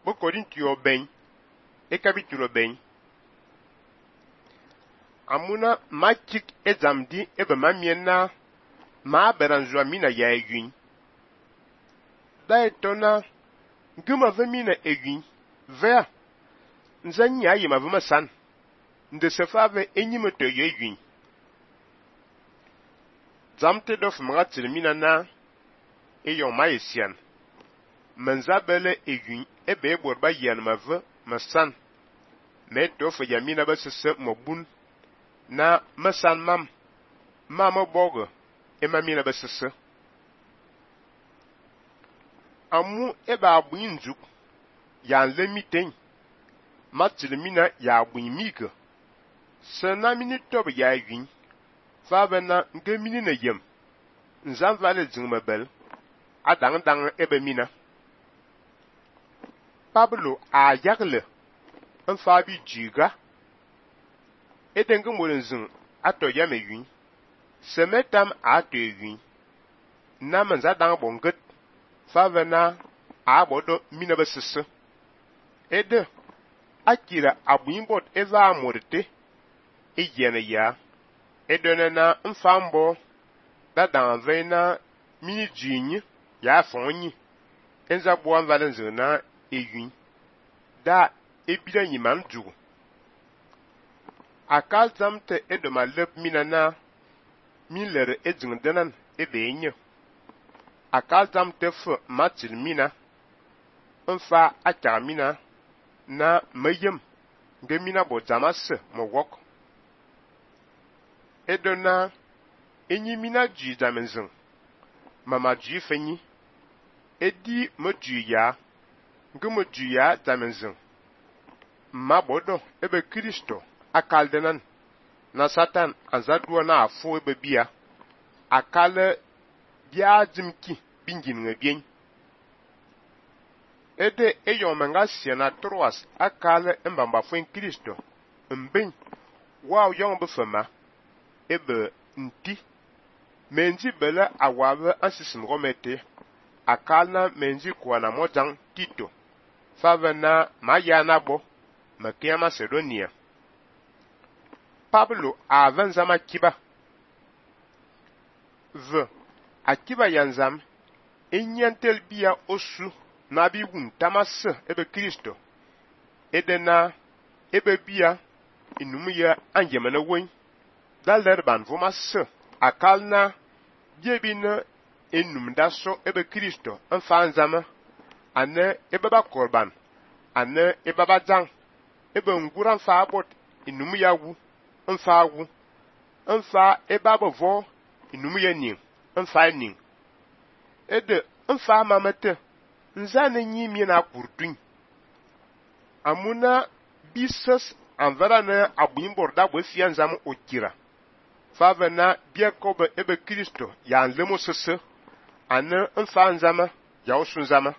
bo Korintio ben e capítulo ben amuna machik ezamdi ebe mamiena ma beranzwa mina ya egwin da etona nguma ve mina egwin vea nzanya yima ve masan nde sefave enyime to ye egwin zamte dof mga tilmina na eyon ma esian menzabele egwin ebe eborba yan ma ve masan me tof yamina ba sese mobun na masan mam mama bogo ema mina ba sese amu eba abuin njuk yan lemiten matilmina ya abuin mike sena mini tob ya egwin fave na nke mini na yem nzam vale zingmebel adang ebe mina Pablo a yagle nfabi jiga edenga molenzin ato yame yun semetam ato yun na manza dang bonget fave na a bodo mina besese ede akira abuimbot eva amorte ejene ya edone na mfambo da danve na mini jinyi ya fonyi enza buan valenze na eyun da ebida nyiman jugu akal zamte edoma lep mina na milere edzing denan ebe enye akal zamte fe matil mina mfa akar mina na mayem nge mina bo zamase mo wok edona enyi mina ji zamenzing mama ji fenyi edi mo ji ya nge mo ji ya zamenzing ma bodo ebe Kristo akaldenan na Satan anzadua na afo ebe bia akale bia jimki bingin ngebien ede eyomenga siena troas akale mbamba fuen Kristo mbin wow yong befema ebe nti menji bele awabe ansisin romete akalna menji kuana mojang Tito fave na mayana bo makia Macedonia Pablo avanzama kiba v akiba yanzam enyantel bia osu na bi wun tamas ebe Kristo edena ebe bia inumuya anjemana won dalerban vomas akalna biebina enum daso ebe Kristo enfanzama ane ebe ba korban ane ebe ba zang ebe nguran fa abot inumuya wu enfa wu enfa ebe abavo inumuya ning enfa ning ede enfa mamete nzane nyimi na kurtun amuna bisos anvara na abuimbor da bo fianzam okira fave na biekobe ebe Kristo ya nlemo sese ane enfa nzama ya osunzama